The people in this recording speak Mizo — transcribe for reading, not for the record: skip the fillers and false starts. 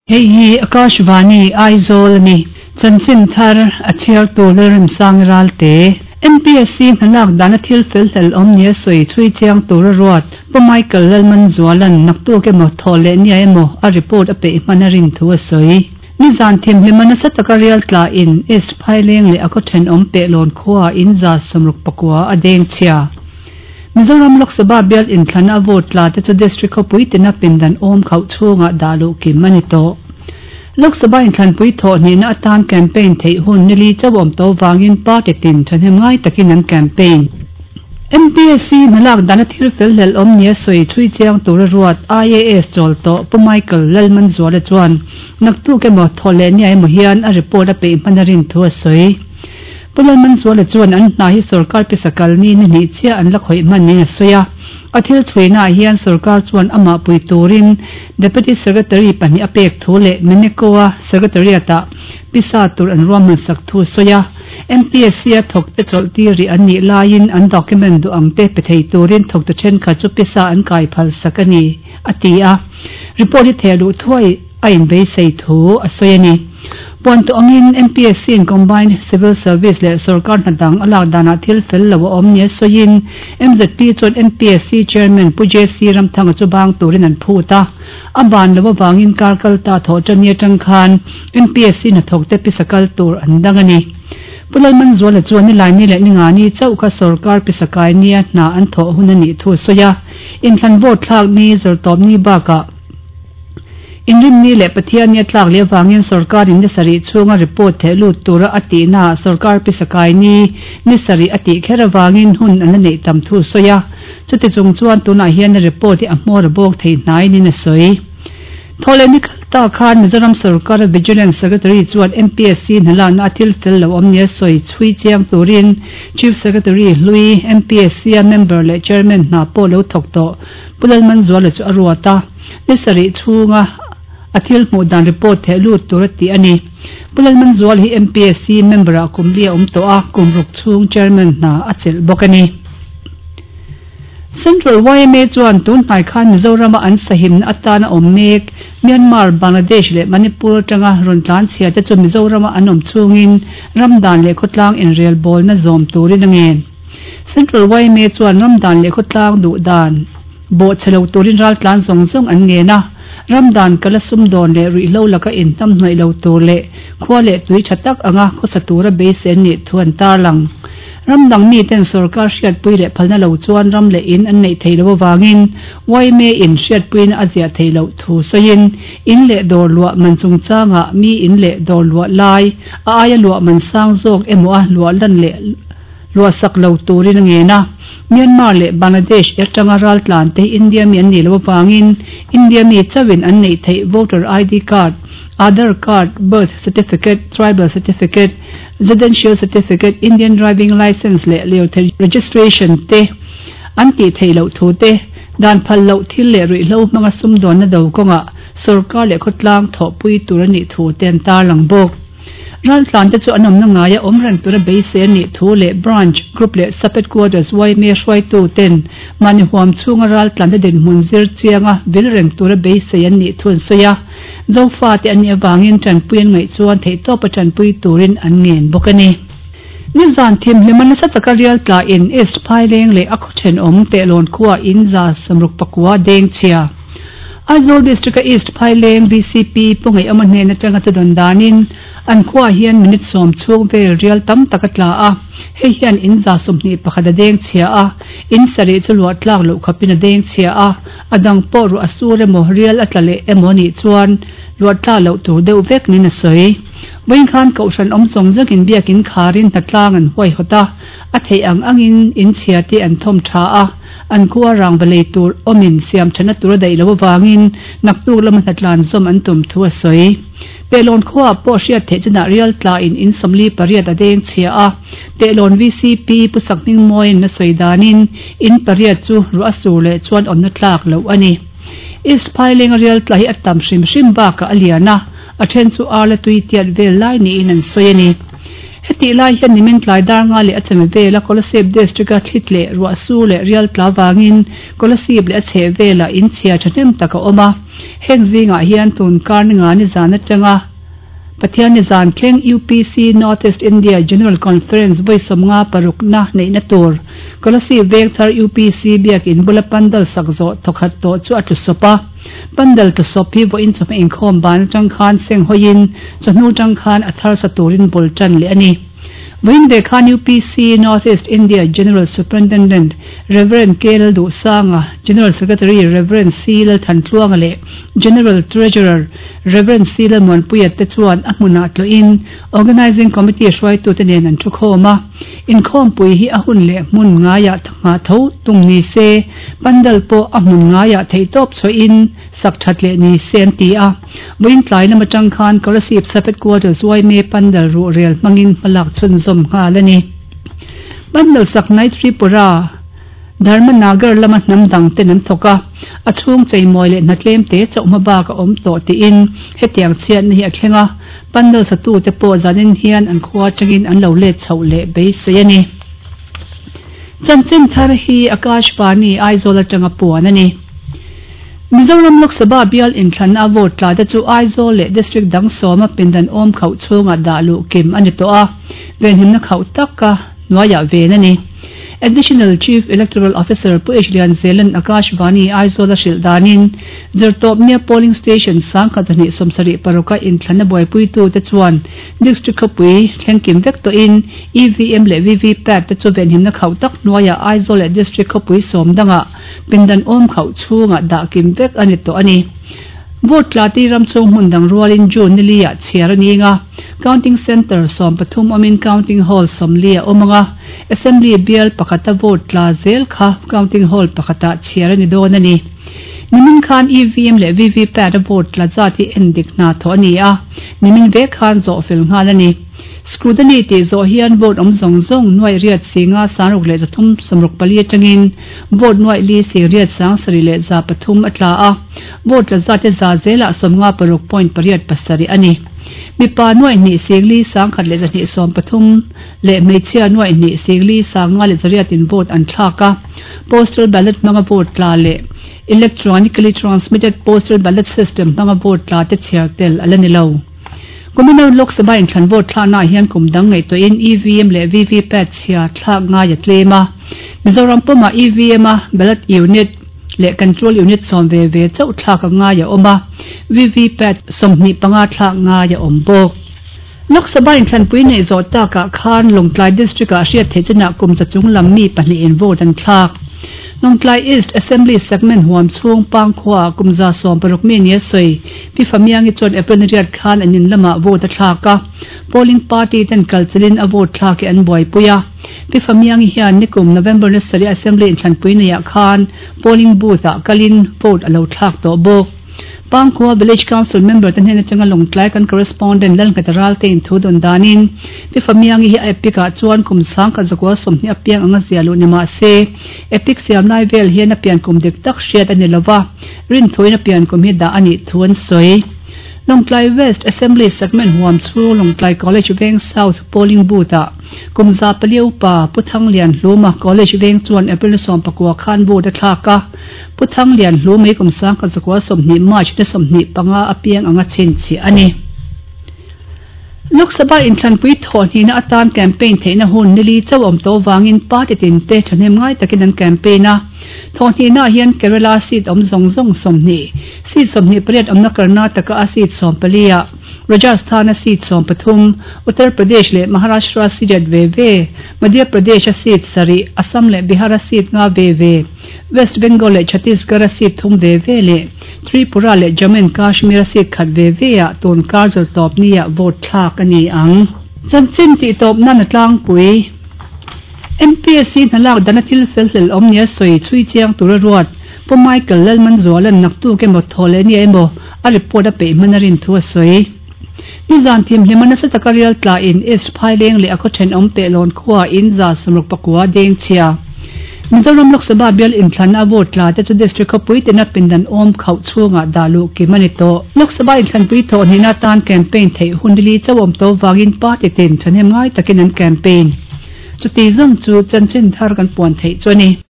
Hei hi Akashvani, Aizawl a ni. Chanchin thar a chhiartu Lalremsang Ralte. MPSC hnalak dana thil fel hlel awm nia sawi chhui chiang tura ruat Pu Michael Lalmanzuala'n naktuk emaw thawh leh nia emaw a report a peih hman a rin thu a sawi. Nizan thimhlima nasa taka rial tlain East Phaileng leh a khaw thenawm Pehlawn khuaah in 161 a deng chhia. Mizoram Lok Sabha bial inthlana a vote tla te chu District khawpui tina pindan awm khauh chhungah dah luh kim a ni tawh. Lok Sabha inthlanpui thawh hnihna atan campaign theih hun nili chauh awm tawh vangin party tin thahnem ngai takin an campaign. MPSC hnalak dana thil fel hlel awm nia sawi chhui chiang tura ruat IAS chawl tawh Pu Michael Lalmanzuala chuan naktuk emaw thawh leh nia emaw hian a report a peih hman a rin thu a sawi. Pu Lalmanzuala chuan an hna hi sorkar pisa kal ni ni hnih chiah an la khawih hman niin a sawi a. A thil chhuihnaah hian sorkar chuan amah pui turin Deputy Secretary pahnih a pek thu leh Meneko-a Secretariat-ah pisa tur an ruahman sak thu a sawi a. MPSC-a thawkte chawlh tir rih an nih laiin an document duh ang te pe thei turin thawktu thenkhat chu pisa an kai phal sak a ni, a ti a. Report hi theh luh thuai a inbeisei thu a sawi a ni. Puan tawh angin MPSC-in Combined Civil Service leh sorkar hna dang a lak danah thil fel lo a awm nia sawiin MZP chuan MPSC Chairman Pu JC Ramthanga chu bang turin an phut a. A ban lo avangin kar kal ta thawh tan ni atang khan MPSC hnathawkte pisa kal tur an dang a ni. Pu Lalmanzuala chuan nilai ni leh ningani chauh kha sorkar pisa kai nia hna an thawh hun a nih thu a sawi a. Inthlan vote thlak ni zawrtawp ni bakah, Inrinni leh Pathianni a tlak leh avangin sorkarin ni sarih chhunga report theh lut tura a tihnaah sorkar pisa kai ni ni sarih a tih kher avangin hun an la neih tam thu a sawi a. Chuti chung chuan tunah hian a report hi a hmawr a bawk thei hnaiin a sawi. Thawhleh ni kal ta khan Mizoram sorkara Vigilance Secretary chuan MPSC hnalakna a thil fel lo awm nia sawi chhui chiang turin Chief Secretary hlui MPSC-a member leh Chairman hna pawh lo thawk tawh Pu Lalmanzuala chu a ruat a, ni sarih chhunga a thil hmuh dan report theh lut tur a tih a ni. Pu Lalmanzuala hi MPSC member-ah kum li a awm tawh a, kum ruk chhung chairman hna a chelh bawk a ni. Central yma chuan tun hnai khan Mizorama an sahimna atana awm mek Myanmar, Bangladesh leh Manipur atanga rawn tlan chhia te chu Mizorama an awm chhungin ramdan leh khawtlang inrelbawlna zawm turin a ngen. Central yma chuan ramdan leh khawtlang duh dan bawhchhe lo turin raltlan zawng zawng an ngen a, ramdan kala sumdawn leh ruihhlo laka inhnamhnawih lo tur leh khua leh tui tha tak anga khawsa tura beisei an nih thu an tarlang. Ramdang miten sorkar hriatpui leh phalna lo chuan ram leh in an neih theih loh avangin yma in hriatpuina a ziah theih loh thu sawiin in leh dawr luah man chungchangah mi in leh dawr luah lai a aia luah man sang zawk emaw a luah lan leh Luahsak lo turin a ngen a. Myanmar leh Bangladesh atanga raltlan te hi India mi an nih loh avangin India mi chauhin an neih theih voter ID card, Aadhaar card, birth certificate, tribal certificate, residential certificate, Indian driving licence leh lirthei registration te an tih theih loh thu te, dan phal loh thil leh ruihhlo hmanga sumdawnna do kawngah sorkar leh khawtlang thawhpui tur a nih thu te an tarlang bawk. Raltlan te chu an awmna ngaia awm reng tura beisei a nih thu leh Branch, Group leh Sub Headquarters yma hruaitu ten mahni huam chhunga raltlan te dinhmun zir chianga vil reng tura beisei an nih thu an sawi a. Zofa te an nih avangin tanpui an ngaih chuan theihtawpa tanpui turin an ngen bawk a ni. Nizan thimhlima nasa taka rial tlain East Phaileng leh a khaw thenawm Pehlawn khua in 169 deng chhia. Aizawl District-a East Phaileng VCP Pu Ngaihawma hnen atanga chu dawn danin an khuaah hian minute sawm chhung vel rial tam tak a tla a, hei hian in 21 a deng chhia a, in sarih chu luah tlak loh khawpin a deng chhia a, a dang pawh ruah a sur emaw rial a tla leh emaw nih chuan luah tlak loh tur deuh vek niin a sawi. Vawiin khan Kohhran awm zawng zawngin biakin kharin hnatlang an huaihawt a, a theih ang angin in chhia te an thawm tha a, An khua rangva lei tur awmin siam thana tur a daih loh avangin naktuk lama hnatlan zawm an tum thu a sawi. Pehlawn khuaah pawh hriat theih chinah rial tlain in 48 a deng chhia a, Pehlawn VCP Pu Sakhmingmawiin a sawi danin in pariat chu ruah a sur leh chuan awmna tlak loh a ni. East Phailenga rial tla hi a tam hrim hrim bakah a lian a, a then chu arla tui tiat vel lai niin an sawi a ni. Hetih lai hian nimin tlai dar nga leh a chame vela Kolasib District-a thli tleh ruah su leh rial tla vangin Kolasib leh a chheh velah in chhia thahnem tak a awm a. Heng zingah hian tun kar ni nga ni zan atanga Pathian ni zan thleng UPC North East India General Conference vawi 56 na neihna tur Kolasib Vengthar UPC biakin bula pandal sak zawh thawkhat tawh chu a tlu sawp a. Pandal tlu sawp hi vawiin chawhmeh inkhawm ban atang khan seng hawiin chawhnu atang khan a thar sa turin bul tan leh a ni. Vawiin ve khan UPC North East India General Superintendent Rev. K. Lalduhsanga, General Secretary Rev. C. Lalthantluanga leh General Treasurer Rev. C. Lalmuanpuia te chuan a hmunah tlawhin Organising Committee hruaitute nen an thukhawm a. Inkhawmpui hi a hun leh hmun ngaiah nghah tho tum ni se, pandal pawh a hmun ngaiah theihtawp chhuahin sak that leh ni se an ti a. Vawiin tlai lam atang khan Kolasib Sub Headquarters yma pandal ruh rel hmangin hmalak chhunzawm nghal a ni. Pandal sak hnai Tripura. Dharmanagar lama hnam dang ten an thawk a, a chhung cheimawi leh hna tlem te chauh hma bak a awm tawh tiin hetiang chhiatna hi a thleng a, pandal satute pawh zanin hian an khua atangin an lo let chhoh leh beisei a ni. Chanchin thar hi Akashvani Aizawl atanga puan a ni. Mizoram Lok Sabha bial inthlanna a vote tla te chu Aizawl leh District dang sawma pindan awm khauh chhungah dah luh kim a ni tawh a, venhimna khauh taka hnuaiah ven a ni. Additional Chief Electoral Officer Pu H Lianzelan Akashvani Aizawl a hrilh danin Zirtawpnia Polling Station 1276 a inthlanna buaipuitute chuan District khawpui thlengkim vek tawhin EVM leh VVPAT te chu venhimna khauh tak hnuaiah Aizawl leh District khawpui sawm dangah pindan awm khauh chhungah dah kim vek a ni tawh a ni. Vote tla ti ram chhung hmun dang rualin June ni li ah chhiar a ning a, Counting Centre 13 awmin Counting Hall 40 a awm ang a, Assembly bial pakhata vote tla zel kha Counting Hall pakhatah chhiar a ni dawn a ni. Nimin khan EVM leh VVPAT a vote tla zat hi endik hna thawh a ni a, nimin vek khan zawh fel nghal a ni. Scrutiny tih zawh hian vote awm zawng zawng nuaih riat singa 6334 atangin vote nuaih li sing riat 7303 a tla a, vote tla zat hi za zelah 56.87 a ni. Mipa nuaih hnih sing li 1113 leh hmeichhia nuaih hnih sing li 5108 in vote an thlak a, postal ballot hmanga vote tla leh electronically transmitted postal ballot system hmanga vote tla te chhiar tel a la ni lo. Kuminau Lok Sabha inthlan vote thlaknaah hian kum dang ngaihtuahin EVM leh VVPAT chhia thlak ngai a tlem a. Mizoram pumah EVM a ballot unit leh control unit sawm ve ve chauh thlak a ngai a awm a, VVPAT 25 thlak ngai a awm bawk. Lok Sabha inthlanpui neih zawh takah khan Lawngtlai District-ah hriat theih chinah kum za chung lam mi pahnihin vote an thlak. Lawngtlai East Assembly Segment huam chhung Pangkhuaah kum 16 mi nia sawi Pi Famiangi chuan April ni riat khan an in lamah vote a thlak a, polling party ten kalchilin a vote thlak hi an buaipui a. Pi Famiangi hian nikum November ni sarih Assembly inthlanpui neiah khan polling booth ah kalin vote a lo thlak tawh bawk. Pangkhua Village Council member te hnen atanga Lawngtlai kan correspondent Lalngheta Ralte in thu dawn danin Pi Famiangi hi a epic ah chuan kum 1920 a piang anga zia luh ni mah se epic siam lai vel hian a pian kum dik tak hriat a ni lova. Rinthuin a pian kum hi dah a nih thu an sawi. Lawngtlai West Assembly Segment huam chhung Lawngtlai College Veng South Polling Booth ah kum za pali upa Pu Thanglian Hluma College Veng chuan April ni 19 khan vote a thlak a. Pu Thanglian Hluma hi kum 1920 March ni 25 a piang anga chhinchhiah a ni. Lok Sabha inthlanpui thawh hnihna atan campaign theihna hun ni li chauh awm tawh vangin party tin te thahnem ngai takin an campaign a. Thawh hnihnaah hian Kerala seat awm zawng zawng 20, seat 28 awmna Karnataka a seat 14 ah, Rajasthan a seat 13, Uttar Pradesh leh Maharashtra seat riat ve ve, Madhya Pradesh a seat sarih, Assam leh Bihar a seat nga ve ve, West Bengal leh Chhattisgarh a seat thum ve ve leh Tripura leh Jammu and Kashmir a seat khat ve ve ah tun kar zawr tawp ni ah vote thlak a ni ang. Chanchin tih tawp nan a tlangpui. MPSC hna lak dana thil fel hlel awm nia sawi chhui chiang tura ruat Pu Michael Lalmanzuala'n naktuk emaw thaw leh nia emaw a report a peih hman a rin thu a sawi. Nizan thimhlima nasa taka rial tla in East Phaileng leh a khaw thenawm Pehlawn khua in 169 deng chhia. Mizoram Lok Sabha bial inthlanna a vote tla te chu District khawpui tina pindan awm khauh chhungah dah luh kim a ni tawh. Lok Sabha inthlanpui thawh hnihna atan campaign theih hun li chauh awm tawh vangin party tin thahnem ngai takin an campaign. Chuti zawng chu chanchin thar kan puan theih chu a ni.